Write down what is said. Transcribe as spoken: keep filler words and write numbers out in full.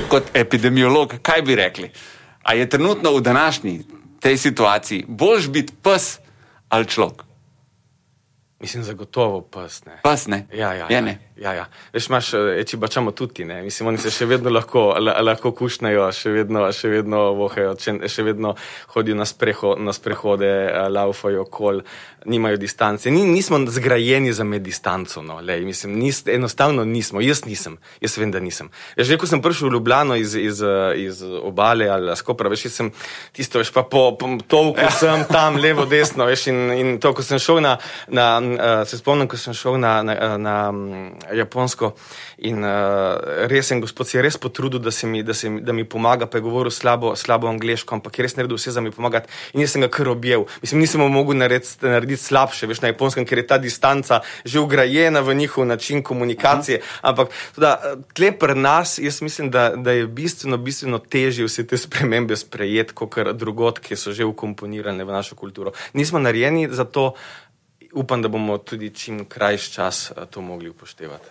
kot epidemiolog, kaj bi rekli? A je trenutno v današnji tej situaciji boljš biti pes ali človek? Mislim, zagotovo pes, ne. Pes, ne? Ja, ja, Je, ja. ne? Ja, ja. Veš, imaš, eči bačamo tudi, ne. Mislim, oni se še vedno lahko, lahko kušnajo, še vedno, še vedno vohajo, še vedno hodijo na, spreho, na sprehode, laufajo okol, nimajo distance. Ni, nismo zgrajeni za med distanco, no, lej. Mislim, nis, enostavno nismo. Jaz nisem. Jaz vem, da nisem. Veš, ko sem prišel v Ljubljano iz, iz, iz Obale ali Skopra, veš, sem tisto, veš, pa po, po tolku ja. sem tam, levo, desno, veš, in, in to, ko sem šel na, na uh, se spomnim, ko sem šel na, na, na Japonsko in uh, res en gospod si je res potrudil, da, se mi, da, se mi, da mi pomaga, pa je govoril slabo, slabo angleško, ampak je res naredil vse za mi pomagati in jaz sem ga kar objel. Mislim, nisem mogel narediti, narediti slabše, veš, na Japonskem, ker je ta distanca že ugrajena v njihov način komunikacije, uh-huh. ampak teda, tle pri nas, jaz mislim, da, da je bistveno, bistveno težje vse te spremembe sprejeti, kakor drugot, ki so že ukomponirane v našo kulturo. Nismo narejeni za to, upam, da bomo tudi čim krajši čas to mogli upoštevati.